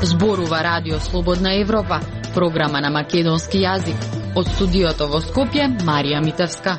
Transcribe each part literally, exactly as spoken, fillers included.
Зборува Радио Слободна Европа, програма на македонски јазик. Од студиото во Скопје, Марија Митевска.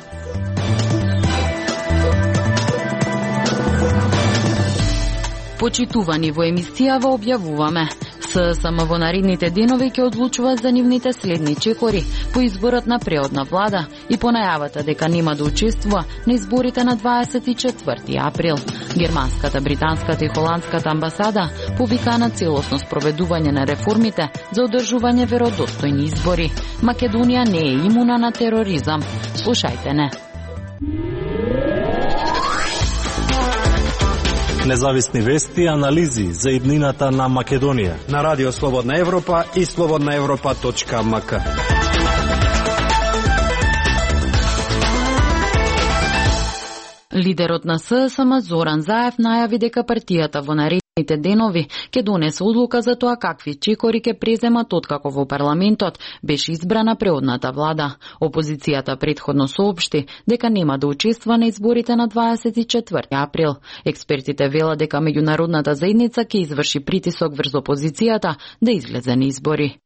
Почитувани во емисијава објавуваме. ССМ во наредните денови ќе одлучува за нивните следни чекори по изборот на преодна влада и по најавата дека нема да учествува на изборите на дваесет и четврти април. Германската, британската и холандската амбасада повикаа на целосно спроведување на реформите за одржување веродостојни избори. Македонија не е имуна на тероризам. Слушајте не. Независни вести и анализи за иднината на Македонија на Радио Слободна Европа и слободна европа точка ем ка. Лидерот на ССМ Зоран Заев најави дека партијата во наредните денови ќе донесе одлука за тоа какви чекори ќе преземат откако во парламентот беше избрана преодната влада. Опозицијата претходно соопшти дека нема да учествува на изборите на дваесет и четврти април. Експертите велат дека меѓународната заедница ќе изврши притисок врз опозицијата да излезе на избори.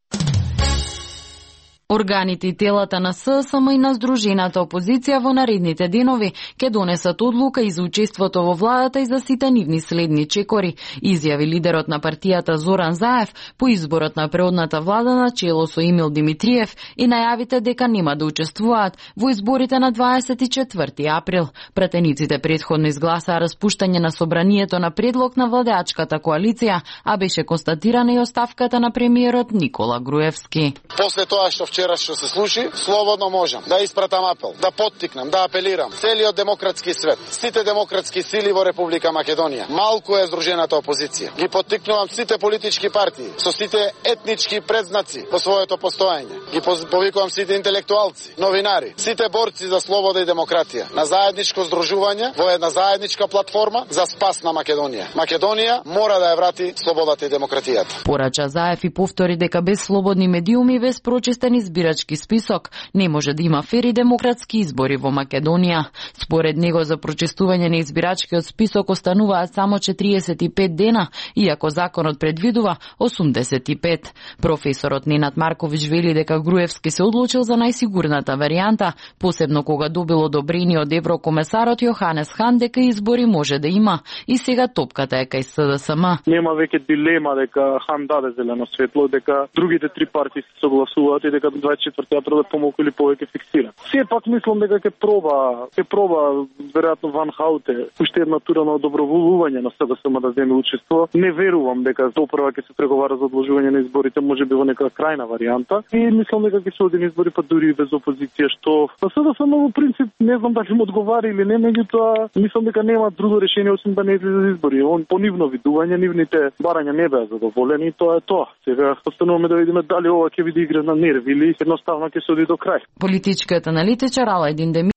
Органите и телата на ССМ и на Сдружената опозиција во наредните денови ќе донесат одлука и за учеството во владата и за сите нивни следни чекори, изјави лидерот на партијата Зоран Заев по изборот на преодната влада на чело со Емил Димитриев и најавите дека нема да учествуваат во изборите на дваесет и четврти април. Пратениците претходно изгласаа распуштање на собранието на предлог на владеачката коалиција, а беше констатирана и оставката на премиерот Никола Груевски. После тоа што вчера што се случи, слободно можам да испратам апел, да поттикнам, да апелирам целиот демократски свет, сите демократски сили во Република Македонија. Малку е здружената опозиција. Ги поттикнувам сите политички партии со сите етнички предзнаци по своето постоење. Ги повикувам сите интелектуалци, новинари, сите борци за слобода и демократија на заедничко здружување во една заедничка платформа за спас на Македонија. Македонија мора да ја врати слободата и демократијата. Порача Заев и повтори дека без слободни медиуми, без прочистен избирачки список не може да има фери демократски избори во Македонија. Според него за прочистување на избирачкиот список остануваат само четириесет и пет дена, иако законот предвидува осумдесет и пет. Професорот Ненад Марковиќ вели дека Груевски се одлучил за најсигурната варијанта, посебно кога добил одобрение од еврокомесарот Јоханес Хан дека избори може да има и сега топката е кај СДСМ. Нема веќе дилема дека Хан даде зелено светло, дека другите три партии се согласуваат и дека дваесет и четврти април е помалку или повеќе фиксиран. Сепак мислам дека ќе проба, ќе проба веројатно Ван Хауте уште една тура на доброволување на СДСМ да земе учество. Не верувам дека допрва ќе се преговара за одложување на изборите, можеби во нека крајна варијанта. И мислам дека ќе се оди на избори па дури и без опозиција, што на СДСМ во принцип не знам дали му одговара или не, меѓутоа мислам дека нема друго решение освен да не излезе за избори. Он по нивно видување, нивните барања не беа задоволени и тоа е тоа. Сега остануваме да видиме дали ова ќе биде игра на нерви или едноставно ќе се оди до крај. Политичкиот аналитичар Аладин Демир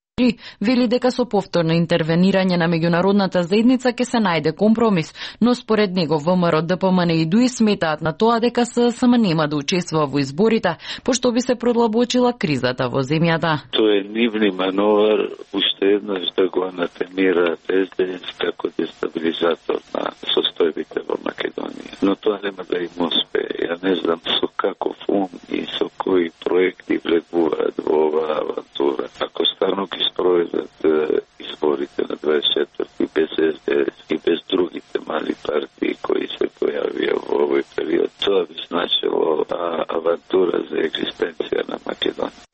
вели дека со повторно интервенирање на меѓународната заедница ќе се најде компромис, но според него ВМРО, ДПМН и ДУИ сметаат на тоа дека ССМ нема да учествува во изборите, пошто би се продлабочила кризата во земјата. Тоа е нивни мановар, уште еднаш да го анатемираат СДС како дестабилизатор на состојбите во Македонија. Но тоа нема да им успее. Ја не знам со каков ум и со кои проекти влегуваат во оваа авантура. Ако стану ги спроведат изборите на дваесет и четврти без СДС и без другите мали партии кои се појавија во овој период, тоа би значило а, авантура за екзистенција на Македонија.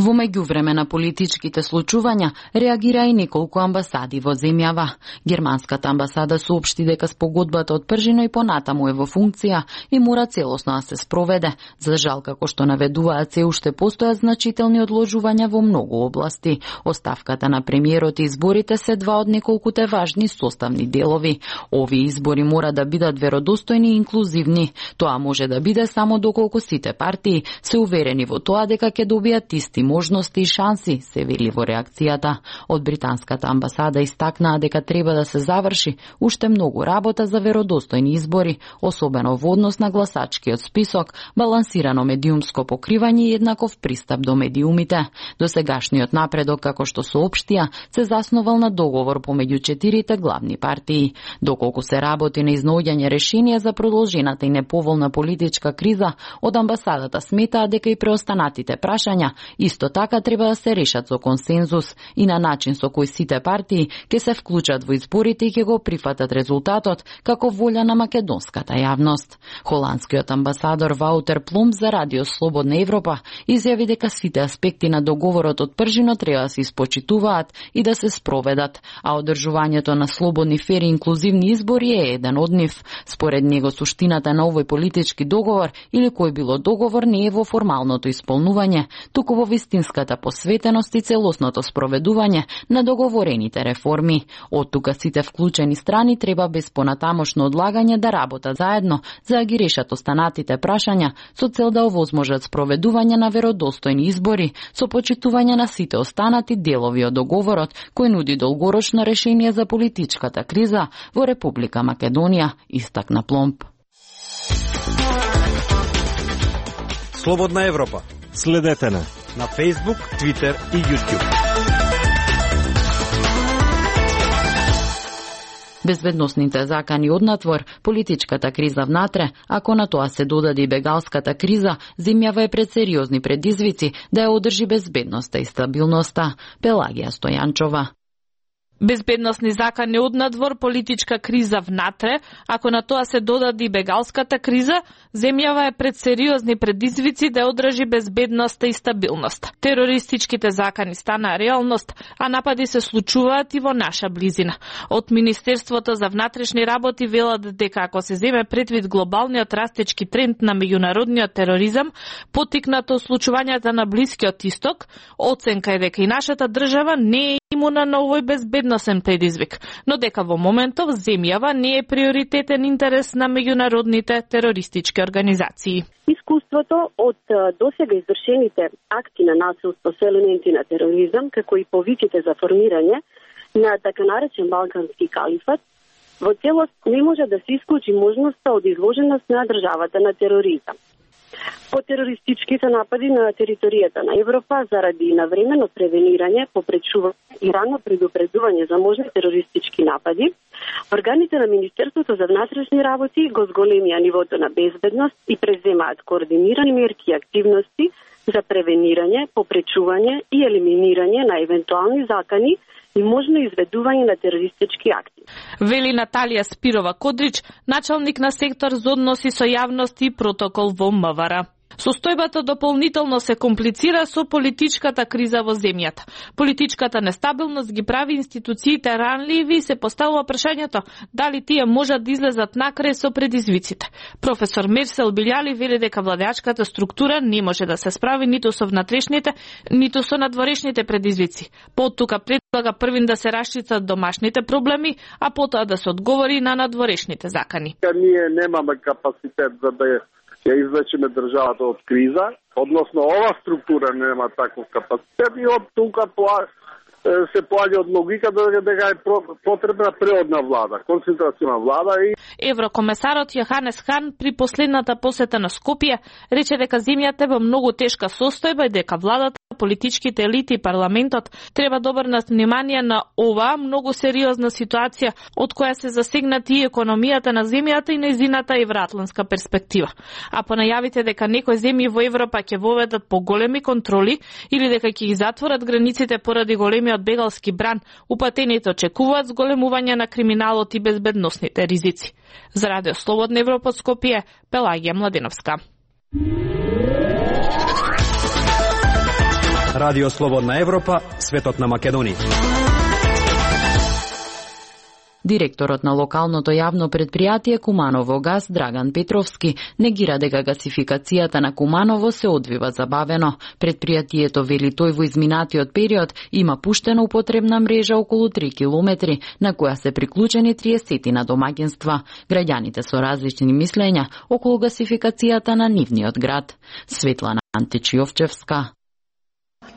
Во меѓувреме на политичките случувања реагира и неколку амбасади во земјава. Германската амбасада соопшти дека спогодбата од пржино и понатаму е во функција и мора целосно да се спроведе. За жал, како што наведуваат, се уште постојат значителни одложувања во многу области. Оставката на премиерот и изборите се два од неколкуте важни составни делови. Овие избори мора да бидат веродостојни и инклузивни. Тоа може да биде само доколку сите партии се уверени во тоа дека ќе добијат исти можности и шанси, се вели во реакцијата. Од британската амбасада истакнаа дека треба да се заврши уште многу работа за веродостојни избори, особено во однос на гласачкиот список, балансирано медиумско покривање и еднаков пристап до медиумите. Досегашниот напредок, како што соопштија, се заснувал на договор помеѓу четирите главни партии. Доколку се работи на изнаоѓање решение за продолжената и неповолна политичка криза, од амбасадата сметаа дека и преостанатите прашања исто така треба да се решат со консензус и на начин со кој сите партии ќе се вклучат во изборите и ќе го прифатат резултатот како волја на македонската јавност. Холандскиот амбасадор Ваутер Плум за Радио Слободна Европа изјави дека сите аспекти на договорот од пржино треба да се испочитуваат и да се спроведат, а одржувањето на слободни, фери и инклузивни избори е еден од нив. Според него суштината на овој политички договор или кој било договор не е во формалното исполнување, туку во вистинската посветеност и целосното спроведување на договорените реформи. Од тука сите вклучени страни треба без понатамошно одлагање да работат заедно за да ги решат останатите прашања со цел да овозможат спроведување на веродостојни избори со почитување на сите останати делови од договорот кој нуди долгорочно решение за политичката криза во Република Македонија, истакна Пломб. Слободна Европа. Следете на на Facebook, Twitter и YouTube. Безбедносните закани однатвор, политичката криза внатре, ако на тоа се додаде и бегалската криза, земјава е пред сериозни предизвици да ја одржи безбедноста и стабилноста. Пелагија Стојанчова. Безбедносни закани однадвор, политичка криза внатре, ако на тоа се додаде и бегалската криза, земјава е пред сериозни предизвици да одржи безбедноста и стабилност. Терористичките закани стана реалност, а напади се случуваат и во наша близина. Од Министерството за внатрешни работи велат дека ако се земе предвид глобалниот растечки тренд на меѓународниот тероризам, поттикнато случувањата на Блискиот Исток, оценка е дека и нашата држава не е имуна на овој безбедносен предизвик, но дека во моментов земјава не е приоритетен интерес на меѓународните терористички организации. Искуството од досега извршените акти на насилство со елементи на тероризам, како и повиките за формирање на така наречен Балкански калифат, во целост не може да се исклучи можноста од изложеност на државата на тероризам. По терористичките напади на територијата на Европа заради навремено превенирање, попречување и рано предупредување за можни терористички напади, органите на Министерството за внатрешни работи го зголемија нивото на безбедност и преземаат координирани мерки и активности за превенирање, попречување и елиминирање на евентуални закани и можно изведување на терористички акти. Вели Наталија Спирова Кодрич, началник на сектор за односи со јавност и протокол во МВР. Состојбата дополнително се комплицира со политичката криза во земјата. Политичката нестабилност ги прави институциите ранливи и се поставува прашањето дали тие можат да излезат накрај со предизвиците. Професор Мерсел Билјали вели дека владеачката структура не може да се справи ниту со внатрешните, ниту со надворешните предизвици. Поттука предлага првин да се расчистат домашните проблеми, а потоа да се одговори на надворешните закани. Ние немаме капацитет за да ја извлечеме државата од криза, односно ова структура нема таков капацитет и од тука се поаѓа од логиката дека е потребна преодна влада, концентрациона влада и Еврокомесарот Јоханес Хан при последната посета на Скопје рече дека земјата е во многу тешка состојба и дека владата, политичките елити и парламентот треба да обрнат внимание на оваа многу сериозна ситуација од која се засегнати и економијата на земјата и нејзината евроатлантска перспектива. А по најавите дека некои земји во Европа ќе воведат поголеми контроли или дека ќе ги затворат границите поради големиот бегалски бран, упатените очекуваат зголемување на криминалот и безбедносните ризици. За Радио Слободна Европа од Скопје, Пелагија Младеновска. Радио Слободна Европа, светот на Македонија. Директорот на локалното јавно предпријатие Куманово газ Драган Петровски негира дека гасификацијата на Куманово се одвива забавено. Предпријатието вели тој во изминатиот период има пуштена употребна мрежа околу три километри, на која се приклучени триесет на домаќинства. Граѓаните со различни мислења околу гасификацијата на нивниот град. Светлана Античиовчевска.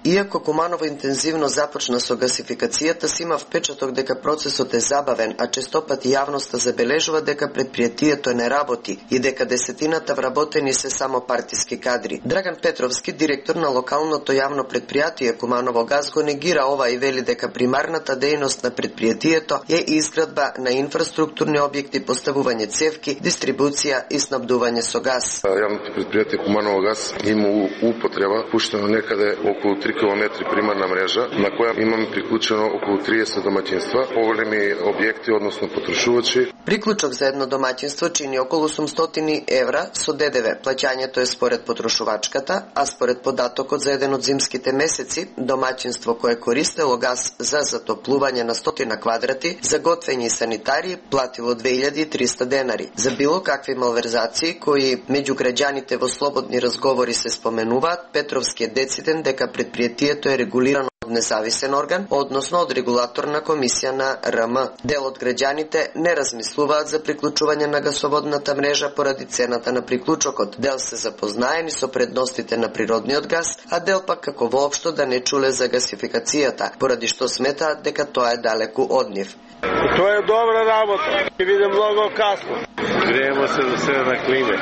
Иако Куманово интензивно започна со гасификацијата, си има впечаток дека процесот е забавен, а честопати јавноста забележува дека предпријатието не работи и дека десетината вработени се само партиски кадри. Драган Петровски, директор на локалното јавно предпријатие Куманово газ, го негира ова и вели дека примарната дејност на предпријатието е изградба на инфраструктурни објекти, поставување цевки, дистрибуција и снабдување со газ. Јавното предпријатие Куманово газ има употреба пуштено некаде околу три километри примарна мрежа, на која имаме приклучено околу триесет домаќинства, поголеми објекти, односно потрошувачи. Приклучок за едно домаќинство чини околу осумстотини евра со ДДВ. Плаќањето е според потрошувачката, а според податокот за еден од зимските месеци, домаќинство кое користело газ за затоплување на стотина квадрати, за готвење и санитари, платило две илјади и триста денари. За било какви малверзации кои меѓу граѓаните во слободни разговори се споменуваат, Петровски е дециден дека предпријатието е регулирано од независен орган, односно од регулаторна комисија на Р М. Дел од граѓаните не размислуваат за приклучување на гасоводната мрежа поради цената на приклучокот. Дел се запознаени со предностите на природниот газ, а дел пак како воопшто да не чуле за гасификацијата, поради што сметаат дека тоа е далеку од нив. Тоа е добра работа. Ќе биде многу касно. Греемо се за себе на климе.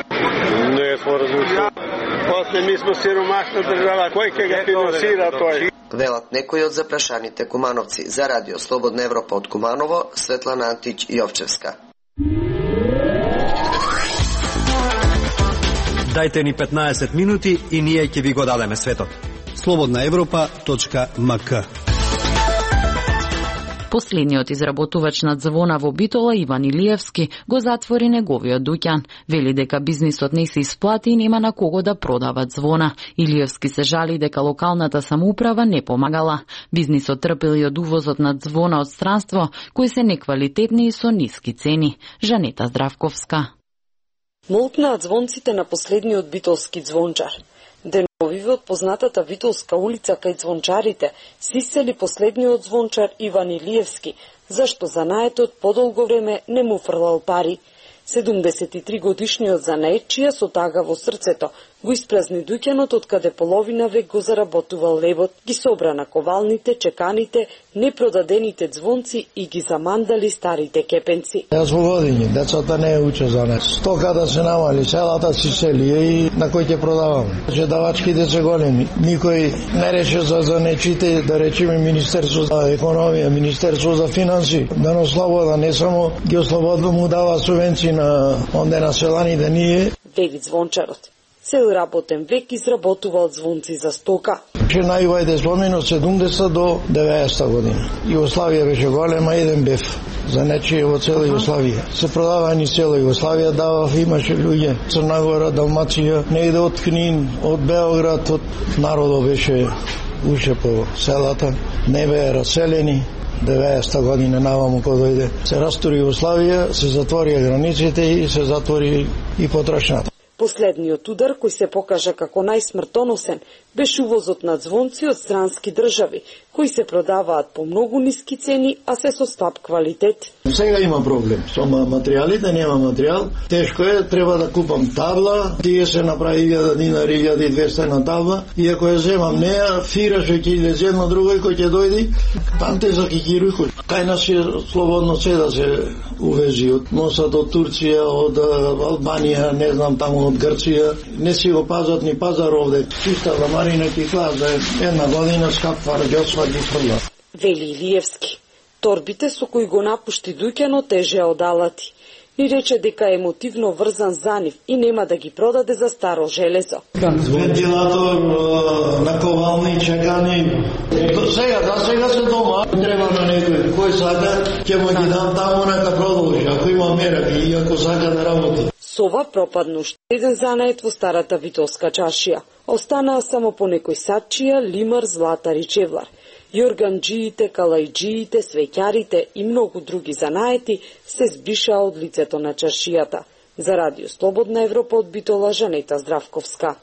Не смо размислили. После ми сме сиромашна држава. Кој ќе ga финансира тој? Велат некои од запрашаните кумановци. За радио Слободна Европа од Куманово, Светлана Антич Јовчевска. Дајте ни петнаесет минути и ние ќе ви го дадеме светот. слободна европа точка м к. Последниот изработувач на звона во Битола, Иван Илиевски, го затвори неговиот дуќан. Вели дека бизнисот не се исплати и нема на кого да продават звона. Илиевски се жали дека локалната самоуправа не помагала. Бизнисот трпели од увозот на звона од странство, кои се неквалитетни и со ниски цени. Жанета Здравковска. Молкнаат звонците на последниот битолски звончар. Деновиве од познатата Витолска улица кај звончарите се исели последниот звончар Иван Илиевски, зашто занаетот подолго време не му фрлал пари. седумдесет и три годишниот занаетчија со тага во срцето го испразни дуќанот од каде половина век го заработувал лебот, ги собра на ковалните, чеканите, непродадените звонци и ги замандали старите кепенци. Јас во години, децата не учат за не. Стоката се намали, селата си сели и на кој ќе продаваме. Предавачките се големи. Никој не рече за занечите, да речеме Министерство за економија, Министерство за финанси, да не слобода, не само ги ослободва, му дава субвенции на онде населаните ние. Вели звончарот. Цел работен век изработувал звонци за стока. Че највајде спомено седумдесет до деветдесета година. Југославија беше голема, еден бев за нечие во цела Југославија. Се продава ни цела Југославија, давав, имаше луѓе, Црна Гора, Далмација, негде од Книн, од Београд, од народот беше уше по селата, не беа раселени. деветдесета година наваму кога дојде, се растури Југославија, се затворија границите и се затвори и потрошната. Последниот удар, кој се покажа како најсмртоносен, беше увозот на звонци од странски држави, кои се продаваат по многу ниски цени, а се со слаб квалитет. Сега има проблем со материјалите, нема материјал. Тешко е, треба да купам табла, тие се направи илјада динари, илјада и двесте на табла, и ако ја земам неа, фира што ќе излезе едно друго кој ќе дојди, там те за кикируј. Кај нас е слободно се да се увези од носат од Турција, од Албанија, не знам таму од Грција, не си го пазат ни пазар овде. Чиста ламарина ќе клас за една година скапва раѓосва ги фрла. Вели Илиевски. Торбите со кои го напушти дуќано тежеа од алати. Ни рече дека е емотивно врзан за нив и нема да ги продаде за старо железо. Вентилатор, наковални, чекани. До сега, за сега се дома. Треба на некој. Кој сака, ќе му ги дам таму нека продолжи. Ако има мераки и ако сака да работи. Со ова пропадна уште еден занает во старата Витолска чаршија. Останаа само по некој сачија, лимар, златар и чевлар. Јорганџиите, калајџиите, свеќарите и многу други занаети се збришаа од лицето на чаршијата. За Радио Слободна Европа од Битола, Жанета Здравковска.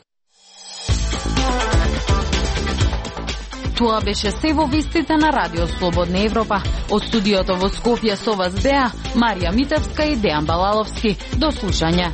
Тоа беше се во вестите на Радио Слободна Европа. Од студиото во Скопје со вас беа Марија Митевска и Дејан Балаловски. До слушање.